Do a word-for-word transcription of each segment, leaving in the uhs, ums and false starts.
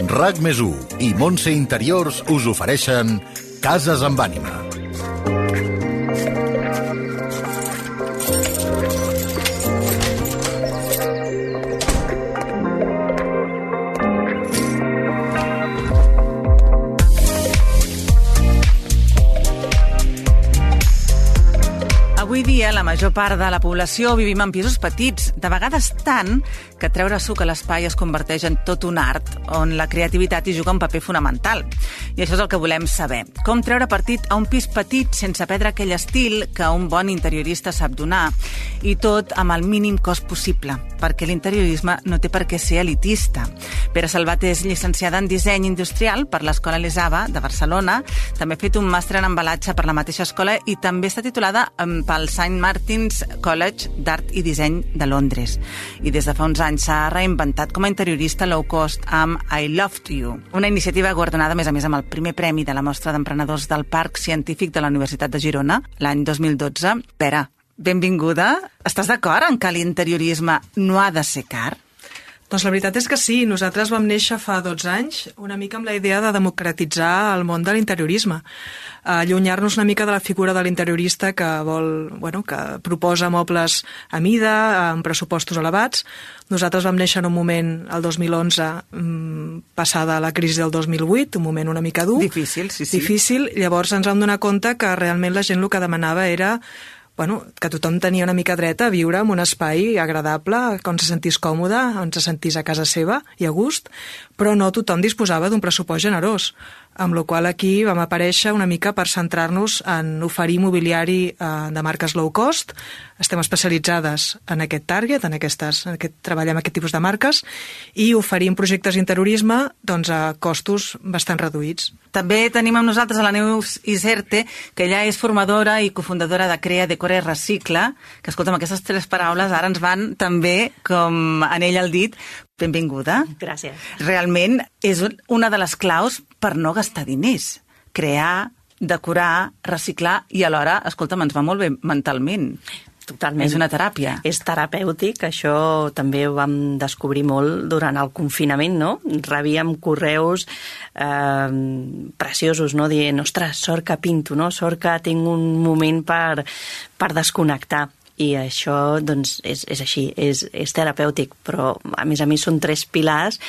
RAC més u i Montse Interiors us ofereixen Cases amb ànima. Avui dia, la major part de la població vivim en pisos petits, de vegades tant que treure suc a l'espai es converteix en tot un art, on la creativitat hi juga un paper fonamental. I això és el que volem saber. Com treure partit a un pis petit sense perdre aquell estil que un bon interiorista sap donar, i tot amb el mínim cost possible, perquè l'interiorisme no té per què ser elitista. Pere Salvat és llicenciada en disseny industrial per l'Escola Elisava de Barcelona, també ha fet un màster en embalatge per la mateixa escola i també està titulada pel Saint Martin's College d'Art i Disseny de Londres. I des de fa uns anys s'ha reinventat com a interiorista low cost amb I Loved You, una iniciativa guardonada a més a més amb el primer premi de la Mostra d'Emprenedors del Parc Científic de la Universitat de Girona l'any dos mil dotze. Pere, benvinguda. Estàs d'acord en que l'interiorisme no ha de ser car? Doncs la veritat és que sí. Nosaltres vam néixer fa dotze anys una mica amb la idea de democratitzar el món de l'interiorisme, allunyar-nos una mica de la figura de l'interiorista que vol, bueno, que proposa mobles a mida, amb pressupostos elevats. Nosaltres vam néixer en un moment, el dos mil onze, passada la crisi del dos mil vuit, un moment una mica dur. Difícil, sí, sí. Difícil. Llavors ens vam donar compte que realment la gent el que demanava era bueno, que tothom tenia una mica dret a viure en un espai agradable, on se sentís còmode, on se sentís a casa seva i a gust, però no tothom disposava d'un pressupost generós, amb la qual aquí vam aparèixer una mica per centrar-nos en oferir mobiliari eh, de marques low cost. Estem especialitzades en aquest target, en aquestes, en aquest, treballem aquest tipus de marques, i oferim projectes d'interiorisme doncs, a costos bastant reduïts. També tenim amb nosaltres a la Neus Iserte, que ella és formadora i cofundadora de Crea, Decora i Recicla, que, escolta'm, aquestes tres paraules ara ens van també, com en ell el dit. Benvinguda. Gràcies. Realment és una de les claus per no gastar diners. Crear, decorar, reciclar i alhora, escolta'm, ens va molt bé mentalment. Totalment. És una teràpia. És terapèutic, això també ho vam descobrir molt durant el confinament, no? Rebíem correus eh, preciosos, no? Dient, ostres, sort que pinto, no? Sort que tinc un moment per, per desconnectar. I això, doncs, és, és així, és, és terapèutic, però a més a més són tres pilars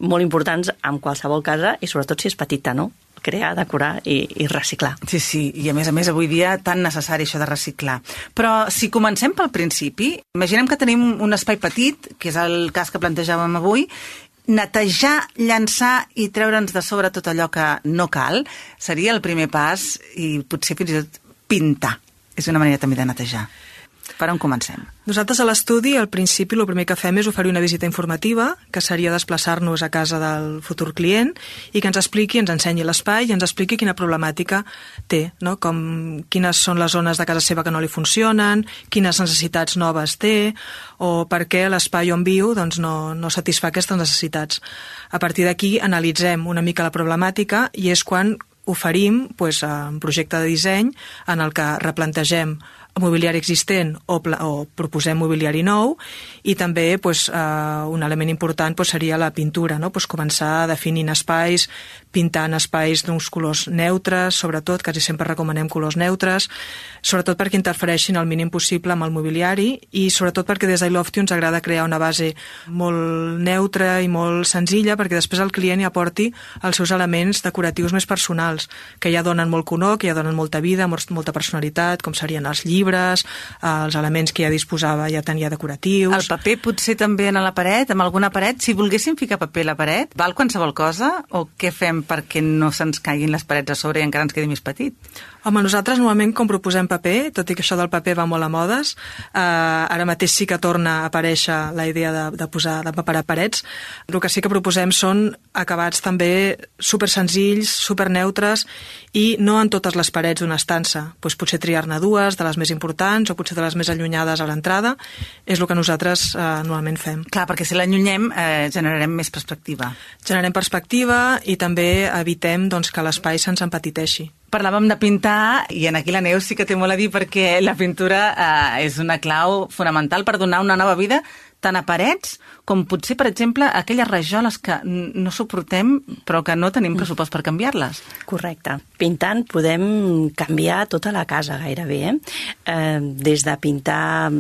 molt importants en qualsevol casa i sobretot si és petita, no? Crear, decorar i, i reciclar. Sí, sí, i a més a més avui dia tan necessari això de reciclar. Però si comencem pel principi, imaginem que tenim un espai petit, que és el cas que plantejàvem avui, netejar, llançar i treure'ns de sobre tot allò que no cal seria el primer pas i potser fins i tot pintar. És una manera també de netejar. Per on comencem? Nosaltres a l'estudi, al principi, el primer que fem és oferir una visita informativa, que seria desplaçar-nos a casa del futur client i que ens expliqui, ens ensenyi l'espai i ens expliqui quina problemàtica té, no? Com, quines són les zones de casa seva que no li funcionen, quines necessitats noves té o per què l'espai on viu doncs, no, no satisfà aquestes necessitats. A partir d'aquí analitzem una mica la problemàtica i és quan oferim pues, un projecte de disseny en el que replantegem mobiliari existent o, o proposem mobiliari nou i també pues, uh, un element important pues, seria la pintura, no? Pues, començar definint espais, pintant espais d'uns colors neutres, sobretot, quasi sempre recomanem colors neutres, sobretot perquè interfereixin el mínim possible amb el mobiliari i sobretot perquè des d'I Loved You ens agrada crear una base molt neutra i molt senzilla perquè després el client hi aporti els seus elements decoratius més personals, que ja donen molt color, que ja donen molta vida, molta personalitat, com serien els llibres, els elements que ja disposava ja tenia decoratius. El paper potser també a la paret, amb alguna paret. Si volguéssim ficar paper a la paret, val qualsevol cosa o què fem perquè no se'ns caiguin les parets a sobre i encara ens quedi més petit? Home, nosaltres normalment com proposem paper, tot i que això del paper va molt a modes, eh, ara mateix sí que torna a aparèixer la idea de, de posar de paperar parets. El que sí que proposem són acabats també super senzills, super neutres i no en totes les parets d'una estança. Pues potser triar-ne dues, de les més importants o potser de les més allunyades a l'entrada, és el que nosaltres eh, normalment fem. Clar, perquè si l'allunyem eh, generarem més perspectiva. Generem perspectiva i també evitem doncs, que l'espai se'ns empetiteixi. Parlàvem de pintar i en aquí la Neus sí que té molt a dir perquè la pintura eh, és una clau fonamental per donar una nova vida tant a parets com potser, per exemple, aquelles rajoles que no suportem però que no tenim pressupost per canviar-les. Correcte. Pintant podem canviar tota la casa gairebé. Eh? Eh, des de pintar,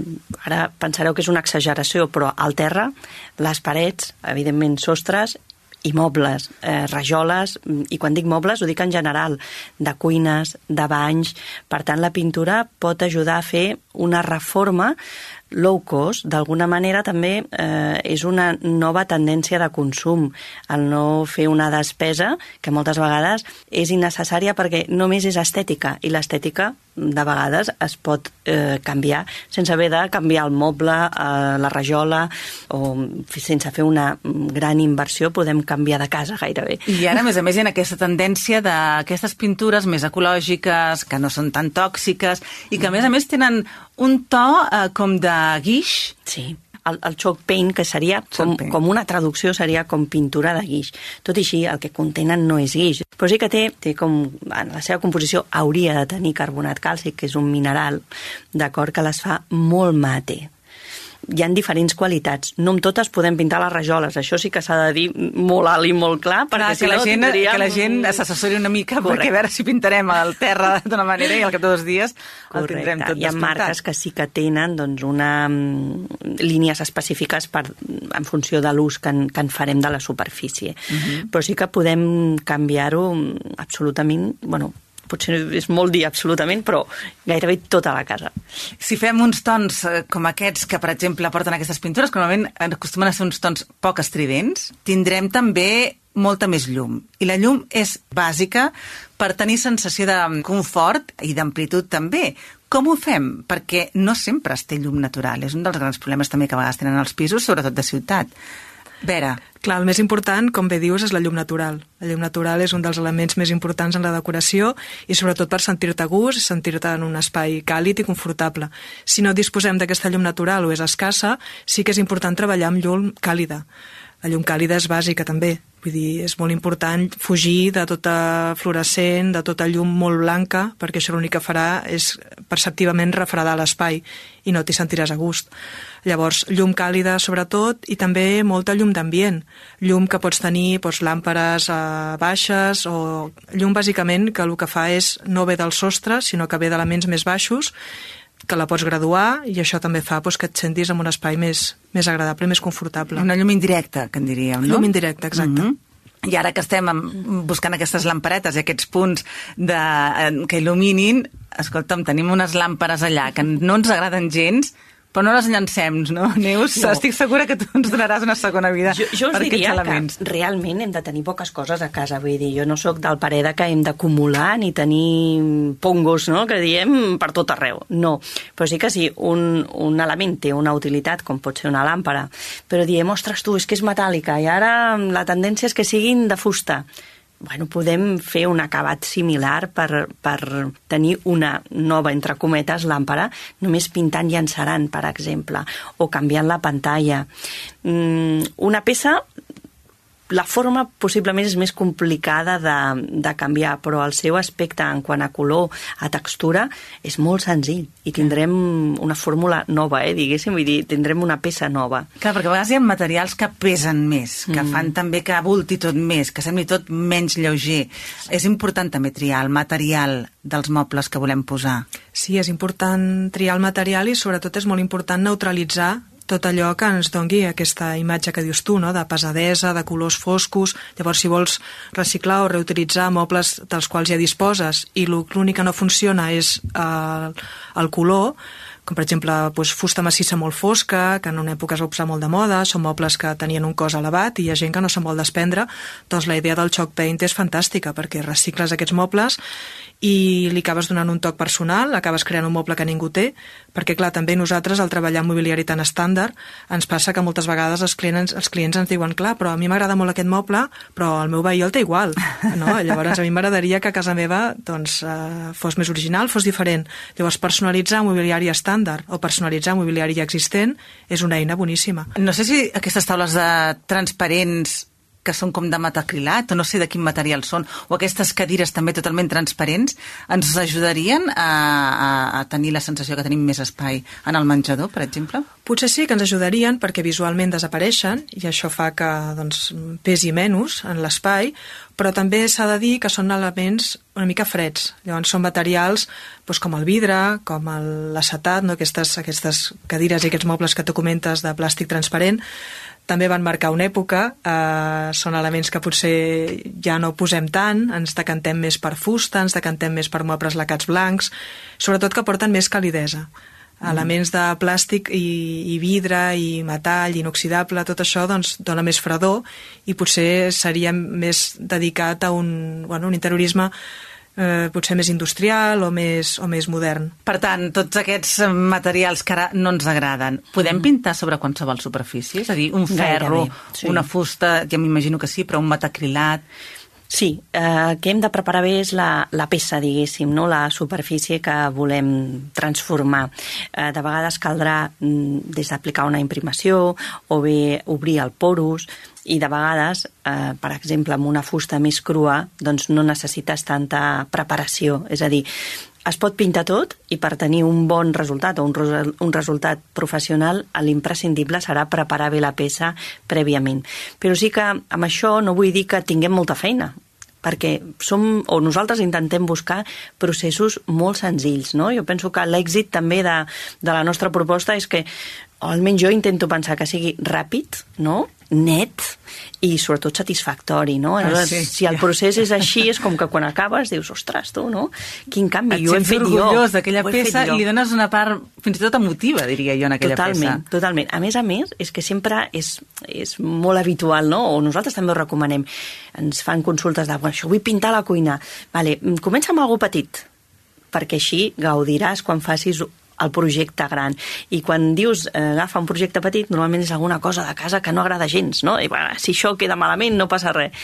ara pensareu que és una exageració, però al terra, les parets, evidentment sostres, i mobles, eh, rajoles, i quan dic mobles ho dic en general, de cuines, de banys. Per tant, la pintura pot ajudar a fer una reforma low cost. D'alguna manera també eh, és una nova tendència de consum, el no fer una despesa que moltes vegades és innecessària perquè només és estètica, i l'estètica de vegades es pot eh, canviar sense haver de canviar el moble, eh, la rajola, o sense fer una gran inversió podem canviar de casa gairebé. I ara, a més a més, hi ha aquesta tendència d'aquestes pintures més ecològiques, que no són tan tòxiques, i que a més a més tenen un to eh, com de guix. Sí. El, el chalk paint, que seria com, com una traducció, seria com pintura de guix. Tot i així, el que contenen no és guix. Però sí que té, té com, en la seva composició hauria de tenir carbonat càlcic, que és un mineral, d'acord, que les fa molt mate. Hi ha diferents qualitats. No amb totes podem pintar les rajoles. Això sí que s'ha de dir molt alt i molt clar, perquè clar, si que no la gent, tindríem... que la gent s'assessori una mica. Correcte. Perquè a veure si pintarem el terra d'una manera i al cap de dos dies el Correcte. Tindrem tot Hi ha despintat. marques que sí que tenen doncs, una, um, línies específiques per, en funció de l'ús que, en, que en farem de la superfície. Uh -huh. Però sí que podem canviar-ho absolutament... Bueno, potser és molt dir absolutament, però gairebé tota la casa. Si fem uns tons eh, com aquests que, per exemple, porten aquestes pintures, que normalment acostumen a ser uns tons poc estridents, tindrem també molta més llum. I la llum és bàsica per tenir sensació de confort i d'amplitud també. Com ho fem? Perquè no sempre es té llum natural. És un dels grans problemes també que a vegades tenen els pisos, sobretot de ciutat. Vera. Clar, el més important, com bé dius, és la llum natural. La llum natural és un dels elements més importants en la decoració i sobretot per sentir-te a gust, sentir-te en un espai càlid i confortable. Si no disposem d'aquesta llum natural o és escassa, sí que és important treballar amb llum càlida. La llum càlida és bàsica també. Vull dir, és molt important fugir de tota fluorescent, de tota llum molt blanca, perquè això l'únic que farà és perceptivament refredar l'espai i no t'hi sentiràs a gust. Llavors, llum càlida sobretot i també molta llum d'ambient. Llum que pots tenir doncs, làmperes eh, baixes o llum bàsicament que el que fa és no ve del sostre, sinó que ve d'elements més baixos, que la pots graduar i això també fa doncs, que et sentis en un espai més, més agradable, més confortable. Una llum indirecta, que en diríem, no? Llum indirecta, exacte. Mm-hmm. I ara que estem buscant aquestes lamperetes i aquests punts de, que il·luminin, escolta'm, tenim unes làmperes allà que no ens agraden gens, però no les llancem, no, Neus? No. Estic segura que tu ens donaràs una segona vida jo, jo per aquests elements. Jo us diria que realment hem de tenir poques coses a casa, vull dir, jo no sóc del parer que hem d'acumular ni tenir pongos, no?, que diem per tot arreu, no. Però sí que sí, un, un element té una utilitat, com pot ser una làmpara, però diem, ostres, tu, és que és metàl·lica i ara la tendència és que siguin de fusta. Bueno, podem fer un acabat similar per, per tenir una nova, entre cometes, làmpara, només pintant i encerant, per exemple, o canviant la pantalla. Mm, una peça, la forma possiblement és més complicada de, de canviar, però el seu aspecte en quant a color, a textura, és molt senzill i tindrem una fórmula nova, eh, diguéssim, vull dir, tindrem una peça nova. Clar, perquè a vegades hi ha materials que pesen més, que mm. fan també que avulti tot més, que sembli tot menys lleuger. És important també triar el material dels mobles que volem posar. Sí, és important triar el material i sobretot és molt important neutralitzar tot allò que ens dongui aquesta imatge que dius tu, no?, de pesadesa, de colors foscos. Llavors, si vols reciclar o reutilitzar mobles dels quals ja disposes i l'únic que no funciona és eh, el color, com per exemple doncs, fusta massissa molt fosca, que en una època es va posar molt de moda, són mobles que tenien un cost elevat i hi ha gent que no se'n vol desprendre, doncs la idea del chalk paint és fantàstica perquè recicles aquests mobles i li acabes donant un toc personal, acabes creant un moble que ningú té, perquè clar, també nosaltres al treballar en mobiliari tan estàndard ens passa que moltes vegades els clients, els clients ens diuen, clar, però a mi m'agrada molt aquest moble, però el meu veí el té igual, no? Llavors a mi m'agradaria que a casa meva doncs, eh, fos més original, fos diferent. Llavors personalitzar mobiliari estàndard o personalitzar mobiliari ja existent és una eina boníssima. No sé si aquestes taules de transparents que són com de metacrilat, o no sé de quin material són, o aquestes cadires també totalment transparents, ens ajudarien a, a, a tenir la sensació que tenim més espai en el menjador, per exemple? Potser sí que ens ajudarien perquè visualment desapareixen i això fa que doncs, pesi menys en l'espai, però també s'ha de dir que són elements una mica freds. Llavors són materials doncs, com el vidre, com l'acetat, no? aquestes, aquestes cadires i aquests mobles que tu comentes de plàstic transparent, també van marcar una època, eh, són elements que potser ja no posem tant, ens decantem més per fusta, ens decantem més per mobles lacats blancs, sobretot que porten més calidesa. Mm. Elements de plàstic i, i vidre i metall inoxidable, tot això doncs, dona més fredor i potser seria més dedicat a un, bueno, un interiorisme eh, potser més industrial o més, o més modern. Per tant, tots aquests materials que ara no ens agraden, podem mm. pintar sobre qualsevol superfície? És a dir, un ferro, gairebé, sí. Una fusta, ja m'imagino que sí, però un metacrilat... Sí, eh, el que hem de preparar bé és la, la peça, diguéssim, no? La superfície que volem transformar. Eh, de vegades caldrà mm, des d'aplicar una imprimació o bé obrir el porus i de vegades, eh, per exemple, amb una fusta més crua, doncs no necessites tanta preparació. És a dir, es pot pintar tot i per tenir un bon resultat o un, un resultat professional l'imprescindible serà preparar bé la peça prèviament. Però sí que amb això no vull dir que tinguem molta feina, perquè som, o nosaltres intentem buscar processos molt senzills, no? Jo penso que l'èxit també de, de la nostra proposta és que, o almenys jo intento pensar que sigui ràpid, no? Net i sobretot satisfactori, no? Ah, sí. Si el procés és així, és com que quan acabes dius, ostres, tu, no? Quin canvi, et jo he fet jo. Et sents orgullós d'aquella peça i li dones una part fins i tot emotiva, diria jo, en aquella totalment, peça. Totalment, A més a més, és que sempre és, és molt habitual, no? O nosaltres també ho recomanem. Ens fan consultes de, bueno, això vull pintar la cuina. Vale, comença amb algo petit, perquè així gaudiràs quan facis el projecte gran. I quan dius eh, agafa un projecte petit, normalment és alguna cosa de casa que no agrada gens, no? I bueno, si això queda malament no passa res.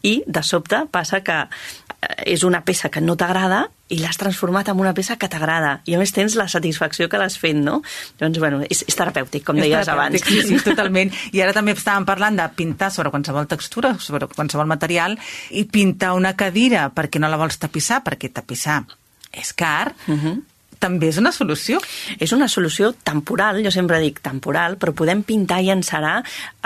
I de sobte passa que eh, és una peça que no t'agrada i l'has transformat en una peça que t'agrada. I a més tens la satisfacció que l'has fet, no? Doncs, bueno, és, és terapèutic, com és deies abans. Sí, sí, totalment. I ara també estàvem parlant de pintar sobre qualsevol textura, sobre qualsevol material, i pintar una cadira perquè no la vols tapissar, perquè tapissar és car, uh-huh. també és una solució. És una solució temporal, jo sempre dic temporal, però podem pintar i encerar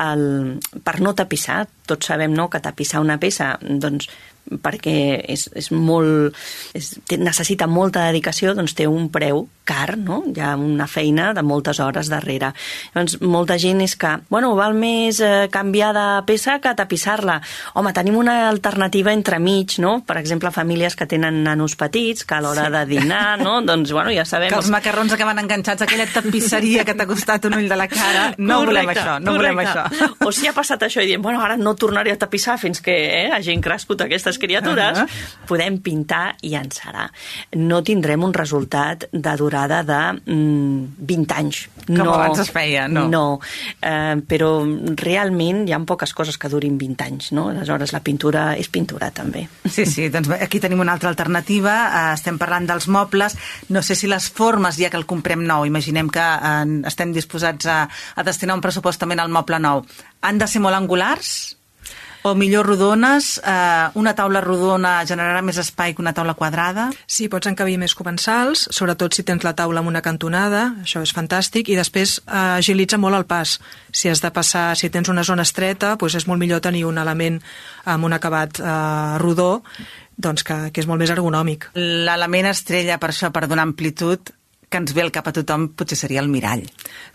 el, per no tapissar. Tots sabem, no?, que tapissar una peça, doncs, perquè és, és molt, és, necessita molta dedicació, doncs té un preu car, no? Hi ha una feina de moltes hores darrere. Llavors, molta gent és que, bueno, val més eh, canviar de peça que tapissar-la. Home, tenim una alternativa entremig, no? Per exemple, famílies que tenen nanos petits, que a l'hora sí. de dinar, no? Doncs, bueno, ja sabem... Que els macarrons acaben enganxats a aquella tapisseria que t'ha costat un ull de la cara. No correcte, volem això, no correcte. volem això. O si ha passat això i diem, bueno, ara no tornaré a tapissar fins que eh, hagin crescut aquestes criatures, uh-huh. podem pintar i encerar. No tindrem un resultat de durada de mm, vint anys. Com no, abans es feia, no. No, eh, però realment hi ha poques coses que durin vint anys, no? Aleshores la pintura és pintura també. Sí, sí, doncs aquí tenim una altra alternativa, eh, estem parlant dels mobles, no sé si les formes, ja que el comprem nou, imaginem que eh, estem disposats a, a destinar un pressupost també al moble nou, han de ser molt angulars? O millor rodones, eh, una taula rodona generarà més espai que una taula quadrada? Sí, pots encabir més comensals, sobretot si tens la taula amb una cantonada, això és fantàstic, i després eh, agilitza molt el pas. Si has de passar, si tens una zona estreta, doncs és molt millor tenir un element amb un acabat eh, rodó, doncs que, que és molt més ergonòmic. L'element estrella per això, per donar amplitud, que ens ve al cap a tothom, potser seria el mirall.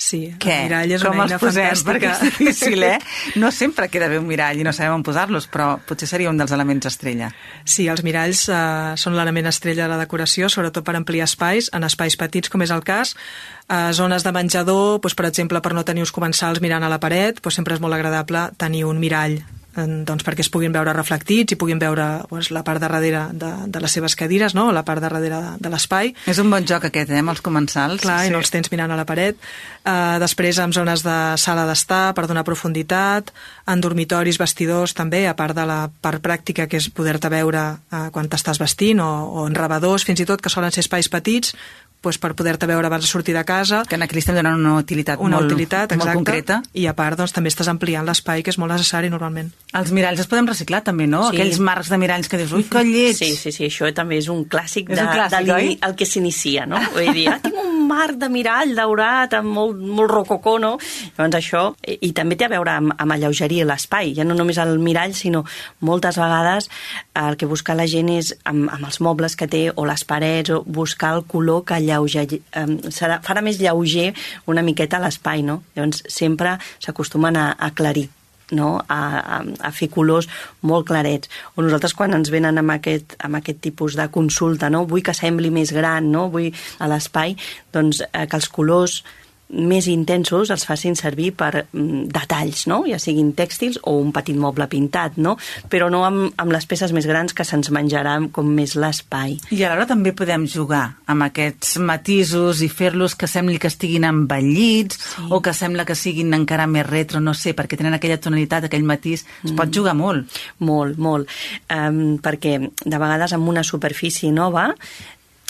Sí, el Què? mirall és Com una eina posem? fantàstica. Perquè és difícil, eh? No sempre queda bé un mirall i no sabem on posar-los, però potser seria un dels elements estrella. Sí, els miralls eh, són l'element estrella de la decoració, sobretot per ampliar espais, en espais petits, com és el cas. A zones de menjador, doncs, per exemple, per no tenir uns comensals mirant a la paret, doncs sempre és molt agradable tenir un mirall, doncs perquè es puguin veure reflectits i puguin veure doncs, la part de darrere de, de les seves cadires, no? La part de darrere de, de l'espai. És un bon joc aquest, eh, amb els comensals. Clar, sí. I no els tens mirant a la paret. Uh, després, en zones de sala d'estar, per donar profunditat, en dormitoris, vestidors, també, a part de la part pràctica, que és poder-te veure uh, quan t'estàs vestint, o, o en rebedors, fins i tot, que solen ser espais petits, doncs, per poder-te veure abans de sortir de casa. Que aquí li estem donant una utilitat, una molt, utilitat molt concreta. I a part, doncs, també estàs ampliant l'espai, que és molt necessari normalment. Els miralls es poden reciclar també, no? Sí. Aquells marcs de miralls que dius, ui, que lleig! Sí, sí, sí, això també és un clàssic, és de, un clàssic de oi? El que s'inicia, no? Vull dir, ah, tinc un marc de mirall daurat, amb molt, molt rococó, no? Llavors això, i, i també té a veure amb, amb alleugerir l'espai, ja no només el mirall, sinó moltes vegades el que busca la gent és, amb, amb els mobles que té, o les parets, o buscar el color que alleuger, eh, serà, farà més lleuger una miqueta l'espai, no? Llavors sempre s'acostumen a, a aclarir, no? A, a, a fer colors molt clarets. O nosaltres quan ens venen amb aquest, amb aquest tipus de consulta, no? Vull que sembli més gran, no? Vull a l'espai, doncs eh, que els colors més intensos els facin servir per mm, detalls, no? Ja siguin tèxtils o un petit moble pintat, no? Però no amb, amb les peces més grans que se'ns menjarà com més l'espai. I alhora també podem jugar amb aquests matisos i fer-los que sembli que estiguin envellits, sí, o que sembla que siguin encara més retro, no sé, perquè tenen aquella tonalitat, aquell matís. Es mm. pot jugar molt. Molt, molt. Um, perquè de vegades amb una superfície nova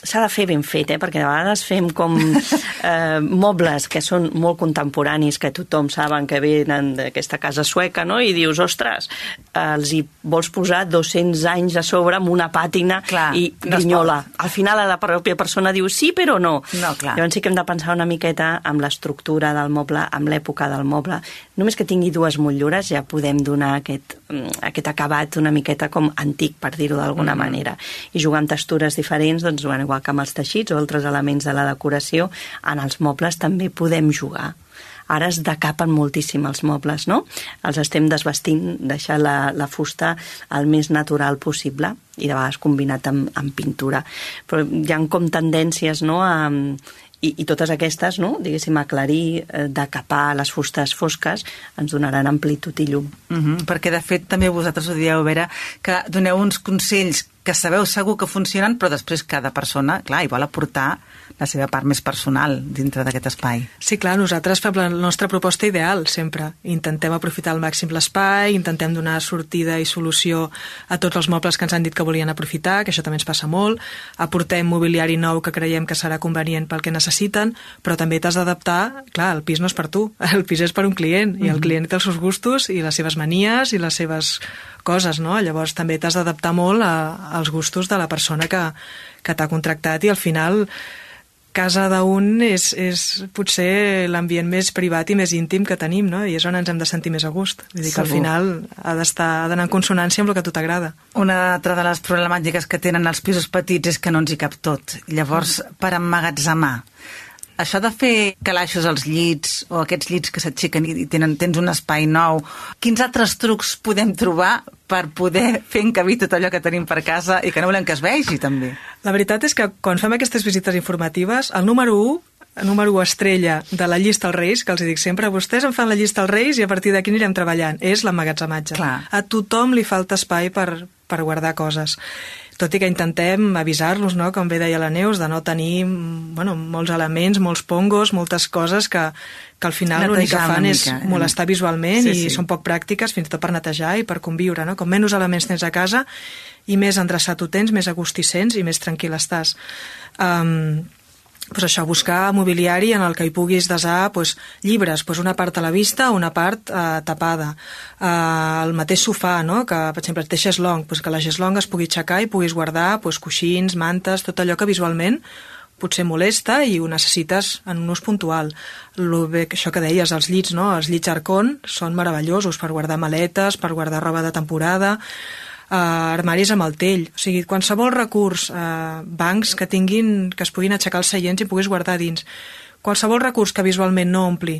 s'ha de fer ben fet, eh? Perquè de vegades fem com eh, mobles que són molt contemporanis, que tothom saben que venen d'aquesta casa sueca, no? I dius, ostres, els hi vols posar dos-cents anys a sobre amb una pàtina. Clar, i grinyola. No, al final la pròpia persona diu sí, però no. No, clar. Llavors sí que hem de pensar una miqueta amb l'estructura del moble, amb l'època del moble. Només que tingui dues motllures ja podem donar aquest, aquest acabat una miqueta com antic, per dir-ho d'alguna mm. manera. I jugar amb textures diferents, doncs, bueno, igual que amb els teixits o altres elements de la decoració, en els mobles també podem jugar. Ara es decapen moltíssim els mobles, no? Els estem desvestint, deixar la, la fusta el més natural possible i de vegades combinat amb, amb pintura. Però hi ha com tendències, no?, a... I, i totes aquestes, no?, diguéssim, aclarir, eh, decapar les fustes fosques, ens donaran amplitud i llum. Uh-huh, perquè, de fet, també vosaltres ho dieu, Vera, que doneu uns consells que sabeu segur que funcionen, però després cada persona, clar, hi vol aportar la seva part més personal dintre d'aquest espai. Sí, clar, nosaltres fem la nostra proposta ideal, sempre. Intentem aprofitar al màxim l'espai, intentem donar sortida i solució a tots els mobles que ens han dit que volien aprofitar, que això també ens passa molt. Aportem mobiliari nou que creiem que serà convenient pel que necessiten, però també t'has d'adaptar, clar, el pis no és per tu, el pis és per un client, i el client té els seus gustos i les seves manies i les seves coses, no? Llavors també t'has d'adaptar molt a, als gustos de la persona que, que t'ha contractat i al final casa d'un és, és potser l'ambient més privat i més íntim que tenim, no? I és on ens hem de sentir més a gust. Vull dir que al final ha d'estar, ha d'anar en consonància amb el que a tu t'agrada. Una altra de les problemàtiques que tenen els pisos petits és que no ens hi cap tot. Llavors, per emmagatzemar, això de fer calaixos als llits o aquests llits que s'aixequen i tenen, tens un espai nou, quins altres trucs podem trobar per poder fer encabir tot allò que tenim per casa i que no volem que es vegi, també? La veritat és que quan fem aquestes visites informatives, el número u, el número u estrella de la llista als Reis, que els dic sempre, vostès em fan la llista als Reis i a partir d'aquí anirem treballant, és l'emmagatzematge. A tothom li falta espai per, per guardar coses. Tot i que intentem avisar-los, no?, com bé deia la Neus, de no tenir bueno, molts elements, molts pongos, moltes coses que, que al final l'únic que fan és mica, molestar visualment sí, i sí. són poc pràctiques fins i tot per netejar i per conviure, no? Com menys elements tens a casa i més endreçat ho tens, més a gust hi sents i més tranquil estàs. Um, pues això, buscar mobiliari en el que hi puguis desar pues, llibres, pues una part a la vista, una part eh, tapada. Eh, el mateix sofà, no? Que, per exemple, té xeslong, pues que la xeslong es pugui aixecar i puguis guardar pues, coixins, mantes, tot allò que visualment potser molesta i ho necessites en un ús puntual. Lo bé, això que deies, els llits, no? Els llits Arcon són meravellosos per guardar maletes, per guardar roba de temporada, Uh, armaris amb el tell, o sigui, qualsevol recurs, uh, bancs que tinguin, que es puguin aixecar els seients i puguis guardar dins. Qualsevol recurs que visualment no ompli,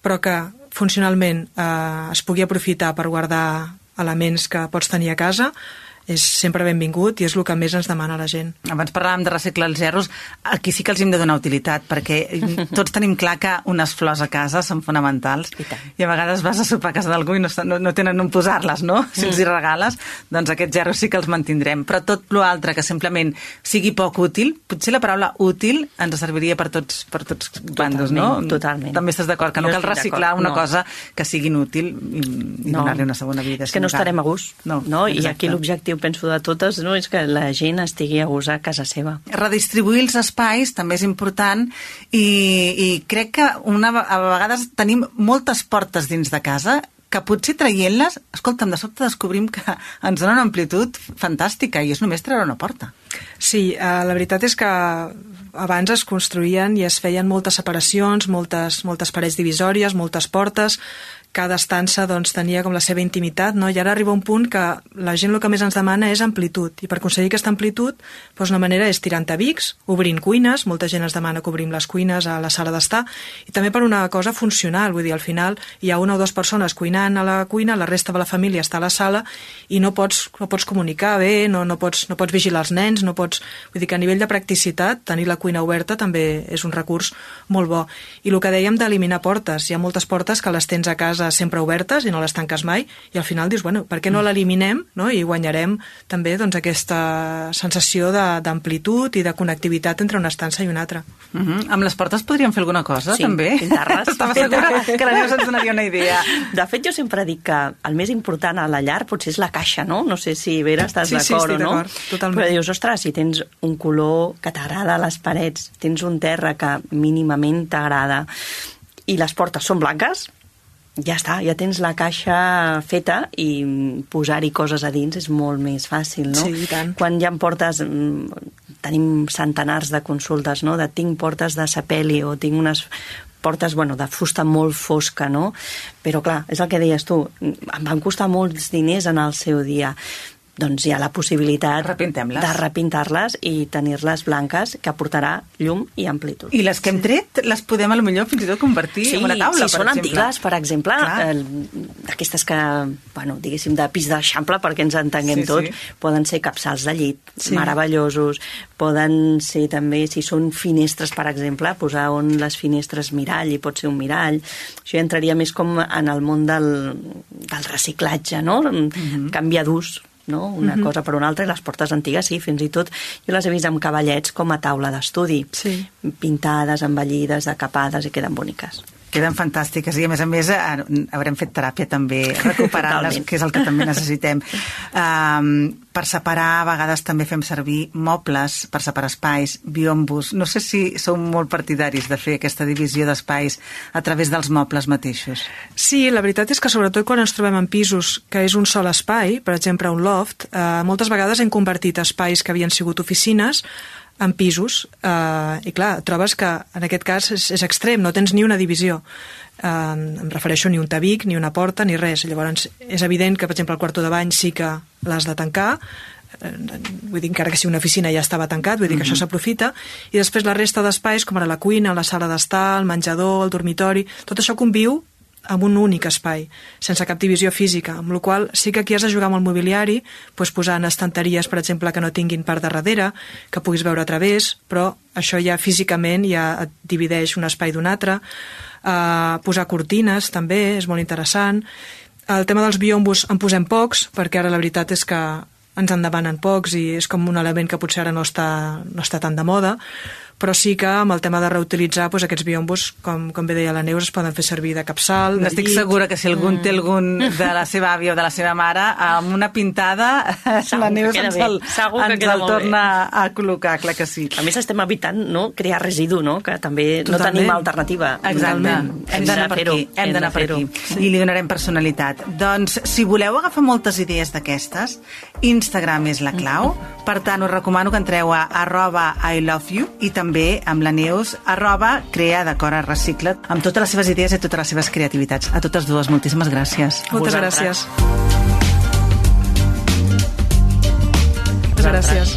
però que funcionalment uh, es pugui aprofitar per guardar elements que pots tenir a casa, és sempre benvingut i és el que més ens demana la gent. Abans parlàvem de reciclar els gerros, aquí sí que els hem de donar utilitat, perquè tots tenim clar que unes flors a casa són fonamentals i, i a vegades vas a sopar a casa d'algú i no, no, no tenen on posar-les, no? Si els hi regales, doncs aquests gerros sí que els mantindrem. Però tot l'altre que simplement sigui poc útil, potser la paraula útil ens serviria per tots, per tots bandos, no? Totalment. També estàs d'acord, que no, no cal reciclar una no. cosa que sigui inútil i, i no. donar-li una segona vida. És que no estarem a gust, no? no? I aquí l'objectiu positiu, penso, de totes, no? És que la gent estigui a gust a casa seva. Redistribuir els espais també és important i, i crec que una, a vegades tenim moltes portes dins de casa que potser traient-les, escolta'm, de sobte descobrim que ens donen una amplitud fantàstica i és només treure una porta. Sí, eh, la veritat és que abans es construïen i es feien moltes separacions, moltes, moltes parets divisòries, moltes portes, cada estança doncs, tenia com la seva intimitat, no? I ara arriba un punt que la gent el que més ens demana és amplitud, i per aconseguir aquesta amplitud doncs una manera és tirant tabics, obrint cuines, molta gent ens demana que obrim les cuines a la sala d'estar, i també per una cosa funcional, vull dir, al final hi ha una o dues persones cuinant a la cuina, la resta de la família està a la sala i no pots, no pots comunicar bé, no, no, pots, no pots vigilar els nens, no pots... Vull dir que a nivell de practicitat, tenir la cuina oberta també és un recurs molt bo. I el que dèiem d'eliminar portes, hi ha moltes portes que les tens a casa sempre obertes i no les tanques mai, i al final dius, bueno, per què no l'eliminem, no? I guanyarem també doncs, aquesta sensació d'amplitud i de connectivitat entre una estança i una altra. Uh -huh. Amb les portes podríem fer alguna cosa, sí, també? pintar-les. Estava segura que la Neus ens donaria una idea. De fet, jo sempre dic que el més important a la llar potser és la caixa, no? No sé si, Vera, estàs sí, sí, d'acord o no? Totalment. Però dius, ostres, si tens un color que t'agrada a les parets, tens un terra que mínimament t'agrada i les portes són blanques, ja està, ja tens la caixa feta i posar-hi coses a dins és molt més fàcil, no? Sí, i tant. Quan ja em portes... Tenim centenars de consultes, no? De tinc portes de sapeli o tinc unes portes, bueno, de fusta molt fosca, no? Però, clar, és el que deies tu, em van costar molts diners en el seu dia. Doncs hi ha la possibilitat de repintar-les i tenir-les blanques, que aportarà llum i amplitud. I les que hem tret les podem a lo millor fins i tot convertir sí, en una taula, si per són exemple. antigues, per exemple, eh, aquestes que, bueno, diguéssim, de pis d'eixample, perquè ens entenguem sí, tots, sí. Poden ser capçals de llit, sí. meravellosos, poden ser també, si són finestres, per exemple, posar on les finestres mirall, i pot ser un mirall. Això ja entraria més com en el món del, del reciclatge, no? Mm-hmm. Canviar d'ús, no? Una uh-huh. cosa per una altra, i les portes antigues, sí, fins i tot jo les he vist amb cavallets com a taula d'estudi, sí. pintades, embellides, decapades, i queden boniques. Queden fantàstiques i, a més a més, haurem fet teràpia també recuperant-les, que és el que també necessitem. Um, per separar, a vegades també fem servir mobles per separar espais, biombos. No sé si sou molt partidaris de fer aquesta divisió d'espais a través dels mobles mateixos. Sí, la veritat és que sobretot quan ens trobem en pisos que és un sol espai, per exemple un loft, eh, moltes vegades hem convertit espais que havien sigut oficines en pisos, eh, i clar, trobes que en aquest cas és, és extrem, no tens ni una divisió. Eh, em refereixo ni un tabic, ni una porta, ni res. Llavors és evident que, per exemple, el quarto de bany sí que l'has de tancar, eh, vull dir, encara que si una oficina ja estava tancat, vull dir que mm-hmm. això s'aprofita, i després la resta d'espais, com ara la cuina, la sala d'estar, el menjador, el dormitori, tot això conviu amb un únic espai, sense cap divisió física, amb la qual sí que aquí has de jugar amb el mobiliari, doncs posant estanteries, per exemple, que no tinguin part de darrere, que puguis veure a través, però això ja físicament ja et divideix un espai d'un altre. Uh, posar cortines també és molt interessant. El tema dels biombos en posem pocs, perquè ara la veritat és que ens en demanen pocs i és com un element que potser ara no està, no està tan de moda, però sí que amb el tema de reutilitzar doncs, aquests biombos, com, com bé deia la Neus, es poden fer servir de capçal, de Estic llit. segura que si algú mm. té algun de la seva àvia o de la seva mare, amb una pintada Segur la Neus ens el, ens el torna bé. a col·locar, clar que sí. A més estem evitant no, crear residu, no? Que també Totalment. no tenim alternativa. Exactament. Hem d'anar per aquí. Hem d'anar per aquí. Sí. I li donarem personalitat. Doncs, si voleu agafar moltes idees d'aquestes, Instagram és la clau. Mm. Per tant, us recomano que entreu a arroba I love you i també amb la Neus, arroba crea decora recicla't, amb totes les seves idees i totes les seves creativitats. A totes dues, moltíssimes gràcies. Moltes gràcies. Moltes gràcies.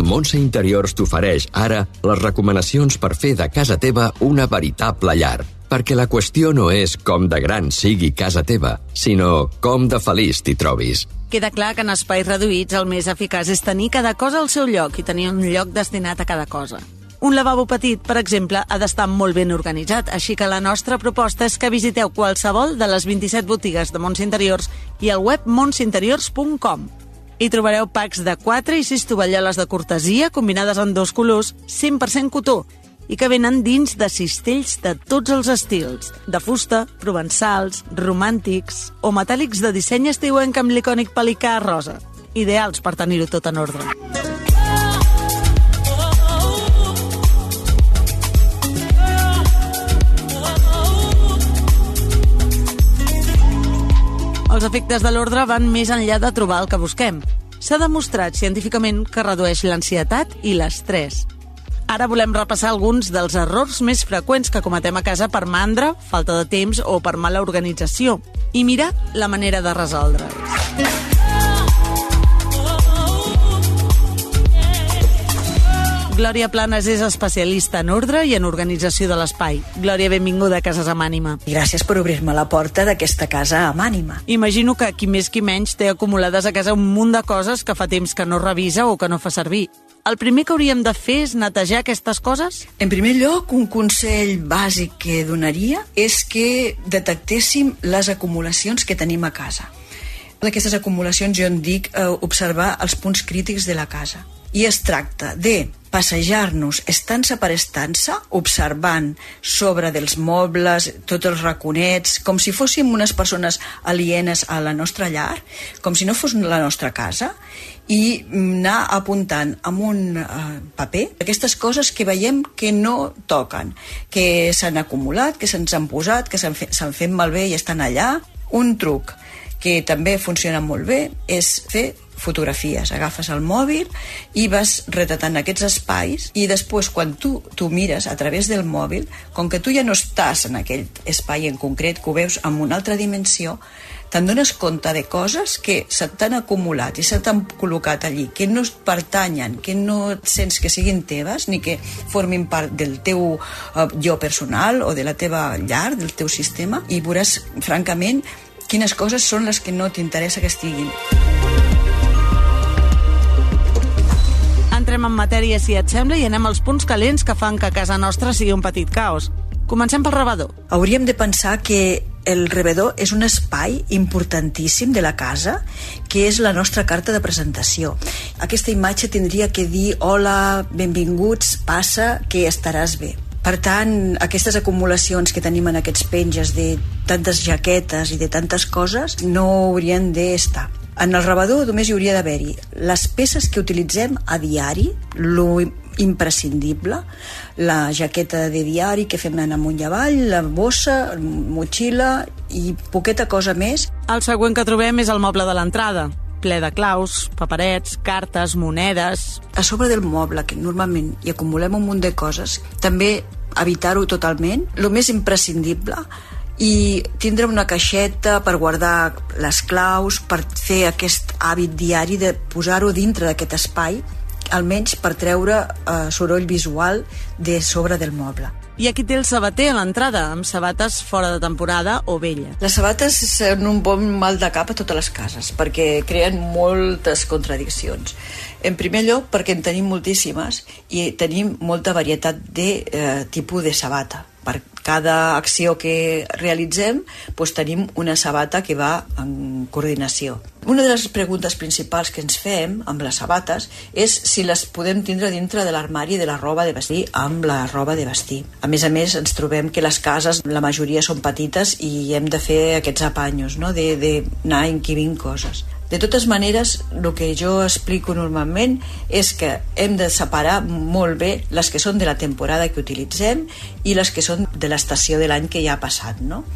Montse Interiors t'ofereix ara les recomanacions per fer de casa teva una veritable llar. Perquè la qüestió no és com de gran sigui casa teva, sinó com de feliç t'hi trobis. Queda clar que en espais reduïts el més eficaç és tenir cada cosa al seu lloc i tenir un lloc destinat a cada cosa. Un lavabo petit, per exemple, ha d'estar molt ben organitzat, així que la nostra proposta és que visiteu qualsevol de les vint-i-set botigues de Montse Interiors i al web montse interiors punt com. Hi trobareu packs de quatre i sis tovalloles de cortesia combinades en dos colors, cent per cent cotó, i que venen dins de cistells de tots els estils, de fusta, provençals, romàntics o metàl·lics de disseny estiuenc amb l'icònic pelicà rosa. ideals per tenir-ho tot en ordre. Els efectes de l'ordre van més enllà de trobar el que busquem. S'ha demostrat científicament que redueix l'ansietat i l'estrès. Ara volem repassar alguns dels errors més freqüents que cometem a casa per mandra, falta de temps o per mala organització i mirar la manera de resoldre'ls. Glòria Planes és especialista en ordre i en organització de l'espai. Glòria, benvinguda a Cases amb Ànima. Gràcies per obrir-me la porta d'aquesta casa amb ànima. Imagino que qui més qui menys té acumulades a casa un munt de coses que fa temps que no revisa o que no fa servir. El primer que hauríem de fer és netejar aquestes coses? En primer lloc, un consell bàsic que donaria és que detectéssim les acumulacions que tenim a casa. D'aquestes acumulacions jo en dic eh, observar els punts crítics de la casa. I es tracta de passejar-nos estança per estança, observant sobre dels mobles, tots els raconets, com si fóssim unes persones alienes a la nostra llar, com si no fos la nostra casa, i anar apuntant amb un uh, paper aquestes coses que veiem que no toquen, que s'han acumulat, que se'ns han posat, que s'han fet, s'han fet malbé i estan allà. Un truc que també funciona molt bé és fer fotografies. Agafes el mòbil i vas retratant aquests espais i després quan tu tu mires a través del mòbil, com que tu ja no estàs en aquell espai en concret, que ho veus en una altra dimensió, te'n dones compte de coses que se t'han acumulat i se t'han col·locat allí, que no pertanyen, que no sents que siguin teves ni que formin part del teu uh, jo personal o de la teva llar, del teu sistema, i veuràs francament quines coses són les que no t'interessa que estiguin. Entrem en matèria, si et sembla, i anem als punts calents que fan que casa nostra sigui un petit caos. Comencem pel rebedor. Hauríem de pensar que el rebedor és un espai importantíssim de la casa, que és la nostra carta de presentació. Aquesta imatge tindria que dir hola, benvinguts, passa, que estaràs bé. Per tant, aquestes acumulacions que tenim en aquests penges de tantes jaquetes i de tantes coses no haurien d'estar. En el rebedor només hi hauria d'haver-hi les peces que utilitzem a diari, lo imprescindible, la jaqueta de diari que fem anar amunt i avall, la bossa, motxilla i poqueta cosa més. El següent que trobem és el moble de l'entrada, ple de claus, paperets, cartes, monedes. A sobre del moble, que normalment hi acumulem un munt de coses, també evitar-ho totalment, el més imprescindible, i tindre una caixeta per guardar les claus, per fer aquest hàbit diari de posar-ho dintre d'aquest espai, almenys per treure eh, soroll visual de sobre del moble. I aquí té el sabater a l'entrada, amb sabates fora de temporada o velles. Les sabates són un bon mal de cap a totes les cases, perquè creen moltes contradiccions. En primer lloc, perquè en tenim moltíssimes i tenim molta varietat de eh, tipus de sabata. Per cada acció que realitzem, doncs tenim una sabata que va en coordinació. Una de les preguntes principals que ens fem amb les sabates és si les podem tindre dintre de l'armari de la roba de vestir amb la roba de vestir. A més a més, ens trobem que les cases, la majoria són petites i hem de fer aquests apanyos, no? de, de anar inquivint coses. De totes maneres, el que jo explico normalment és que hem de separar molt bé les que són de la temporada que utilitzem i les que són de l'estació de l'any que ja ha passat, no?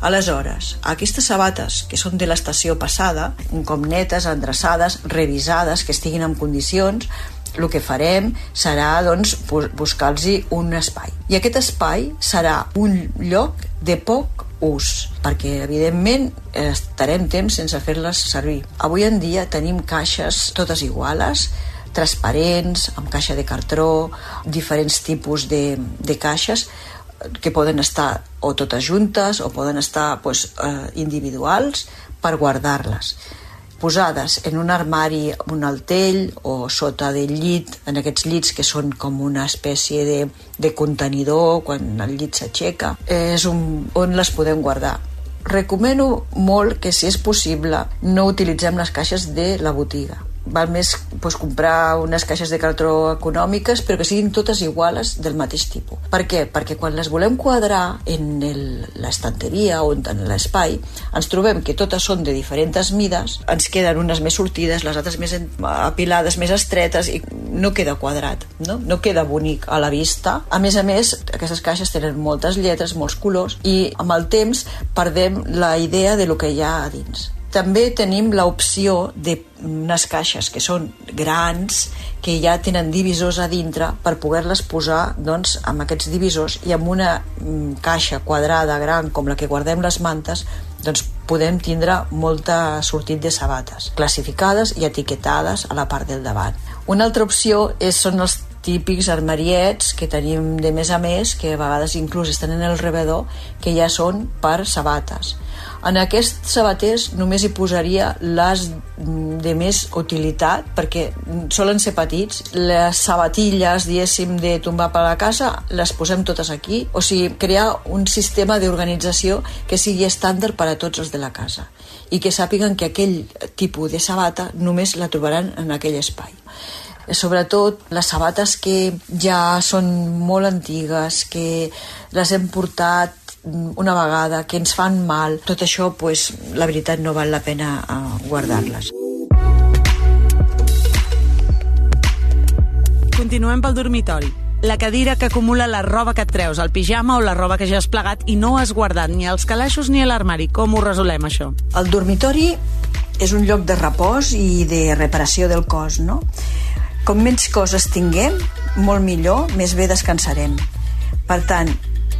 Aleshores, aquestes sabates que són de l'estació passada, un cop netes, endreçades, revisades, que estiguin en condicions, el que farem serà doncs, buscar-los un espai. I aquest espai serà un lloc de poc ús, perquè evidentment estarem temps sense fer-les servir. Avui en dia tenim caixes totes iguales, transparents, amb caixa de cartró, diferents tipus de, de caixes que poden estar o totes juntes o poden estar pues, eh, individuals per guardar-les, posades en un armari, un altell o sota del llit, en aquests llits que són com una espècie de, de contenidor quan el llit s'aixeca, és un, on les podem guardar. Recomano molt que, si és possible, no utilitzem les caixes de la botiga. val més pues, comprar unes caixes de cartró econòmiques, però que siguin totes iguals del mateix tipus. Per què? Perquè quan les volem quadrar en l'estanteria o en l'espai, ens trobem que totes són de diferents mides, ens queden unes més sortides, les altres més apilades, més estretes, i no queda quadrat, no? No queda bonic a la vista. A més a més, aquestes caixes tenen moltes lletres, molts colors, i amb el temps perdem la idea de lo que hi ha a dins. També tenim l'opció d'unes caixes que són grans, que ja tenen divisors a dintre per poder-les posar doncs, amb aquests divisors, i amb una mm, caixa quadrada gran com la que guardem les mantes, doncs podem tindre molta sortit de sabates, classificades i etiquetades a la part del davant. Una altra opció és, són els típics armariets que tenim de més a més, que a vegades inclús estan en el rebedor, que ja són per sabates. En aquests sabaters només hi posaria les de més utilitat, perquè solen ser petits. Les sabatilles, diguéssim, de tombar per la casa, les posem totes aquí. O sigui, crear un sistema d'organització que sigui estàndard per a tots els de la casa i que sàpiguen que aquell tipus de sabata només la trobaran en aquell espai. Sobretot les sabates que ja són molt antigues, que les hem portat una vegada, que ens fan mal, tot això, pues, la veritat, no val la pena guardar-les. Continuem pel dormitori. La cadira que acumula la roba que et treus, el pijama o la roba que ja has plegat i no has guardat ni als calaixos ni a l'armari. Com ho resolem, això? El dormitori és un lloc de repòs i de reparació del cos, no? Com menys coses tinguem, molt millor, més bé descansarem. Per tant,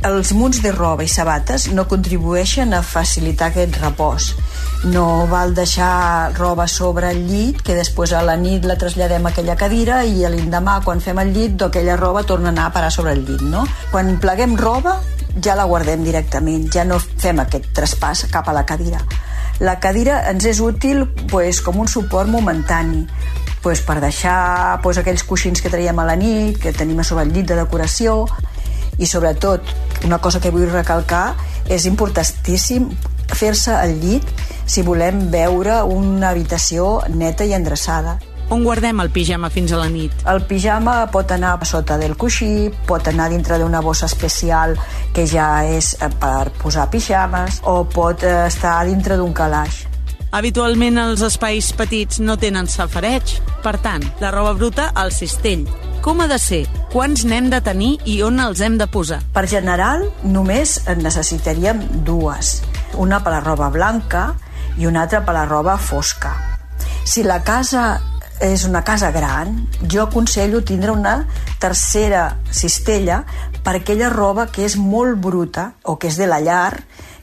els munts de roba i sabates no contribueixen a facilitar aquest repòs. No val deixar roba sobre el llit, que després a la nit la traslladem a aquella cadira i a l'endemà, quan fem el llit, aquella roba torna a anar a parar sobre el llit, no? Quan pleguem roba, ja la guardem directament, ja no fem aquest traspàs cap a la cadira. La cadira ens és útil pues, com un suport momentani, pues, per deixar pues, aquells coixins que traiem a la nit, que tenim a sobre el llit de decoració. I sobretot, una cosa que vull recalcar, és importantíssim fer-se al llit si volem veure una habitació neta i endreçada. On guardem el pijama fins a la nit? El pijama pot anar sota del coixí, pot anar dintre d'una bossa especial que ja és per posar pijames, o pot estar dintre d'un calaix. Habitualment els espais petits no tenen safareig. Per tant, la roba bruta al cistell. Com ha de ser? Quants n'hem de tenir i on els hem de posar? Per general, només en necessitaríem dues. Una per la roba blanca i una altra per la roba fosca. Si la casa és una casa gran, jo aconsello tindre una tercera cistella per aquella roba que és molt bruta o que és de la llar,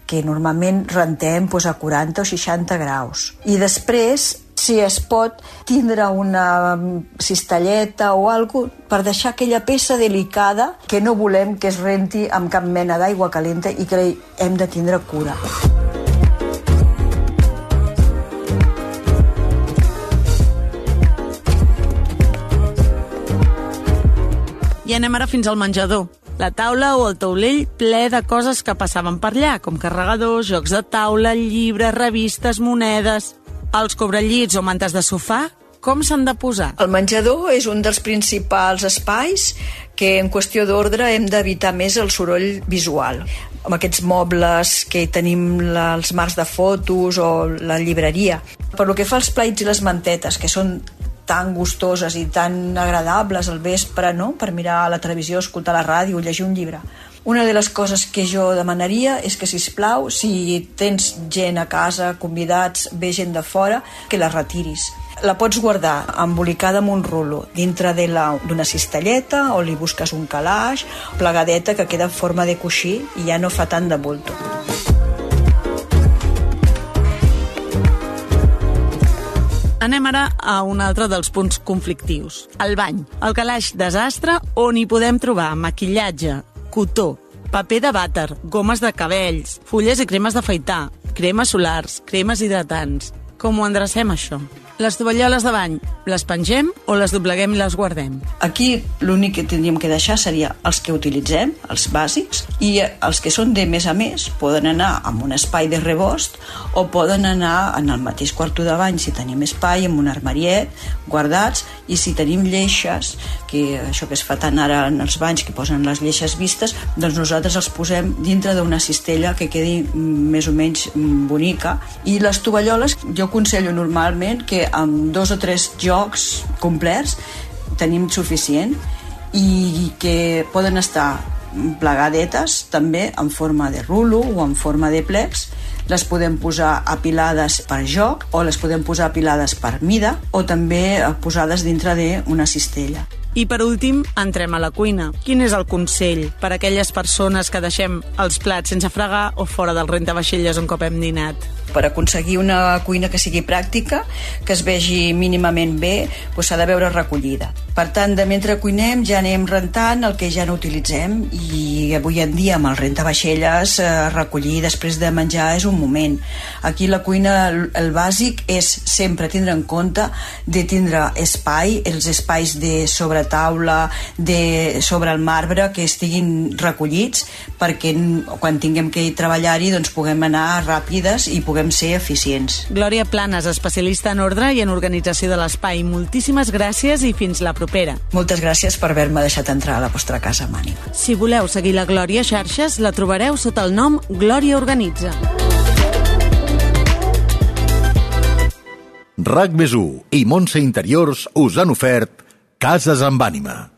que normalment rentem doncs, a quaranta o seixanta graus. I després, si es pot, tindre una cistelleta o alguna cosa per deixar aquella peça delicada que no volem que es renti amb cap mena d'aigua calenta i que hem de tindre cura. I anem ara fins al menjador. La taula o el taulell ple de coses que passaven per allà, com carregadors, jocs de taula, llibres, revistes, monedes. Els cobrellits o mantes de sofà, com s'han de posar? El menjador és un dels principals espais que en qüestió d'ordre hem d'evitar més el soroll visual. Amb aquests mobles que tenim els marcs de fotos o la llibreria. Per lo que fa als plaits i les mantetes, que són tan gustoses i tan agradables al vespre, no? Per mirar la televisió, escoltar la ràdio, llegir un llibre. Una de les coses que jo demanaria és que, sisplau, si tens gent a casa, convidats, ve gent de fora, que la retiris. La pots guardar embolicada amb un rulo dintre d'una cistelleta, o li busques un calaix, plegadeta que queda en forma de coixí i ja no fa tant de bulto. Anem ara a un altre dels punts conflictius, el bany. El calaix desastre on hi podem trobar maquillatge, cotó, paper de vàter, gomes de cabells, fulles i cremes d'afaitar, cremes solars, cremes hidratants. Com ho endrecem, això? Les tovalloles de bany, les pengem o les dobleguem i les guardem? Aquí l'únic que tindríem que deixar seria els que utilitzem, els bàsics, i els que són de més a més poden anar en un espai de rebost o poden anar en el mateix quarto de bany si tenim espai, en un armariet, guardats, i si tenim lleixes, que això que es fa tant ara en els banys, que posen les lleixes vistes, doncs nosaltres els posem dintre d'una cistella que quedi més o menys bonica. I les tovalloles jo aconsello normalment que amb dos o tres jocs complets tenim suficient i que poden estar plegadetes també en forma de rulo o en forma de plecs. Les podem posar apilades per joc o les podem posar apilades per mida o també posades dintre d'una cistella. I per últim, entrem a la cuina. Quin és el consell per a aquelles persones que deixem els plats sense fregar o fora del rentavaixelles un cop hem dinat? Per aconseguir una cuina que sigui pràctica, que es vegi mínimament bé, doncs s'ha de veure recollida. Per tant, de mentre cuinem ja anem rentant el que ja no utilitzem i avui en dia amb el rentavaixelles eh, recollir després de menjar és un moment. Aquí la cuina, el bàsic és sempre tindre en compte de tindre espai, els espais de sobretaula, de sobre el marbre que estiguin recollits perquè quan tinguem que treballar-hi doncs puguem anar ràpides i puguem ser eficients. Glòria Planes, especialista en ordre i en organització de l'espai. Moltíssimes gràcies i fins la propera. Moltes gràcies per haver-me deixat entrar a la vostra casa amb ànima. Si voleu seguir la Glòria a xarxes, la trobareu sota el nom Glòria Organitza. RAC més u i Montse Interiors us han ofert Cases amb ànima.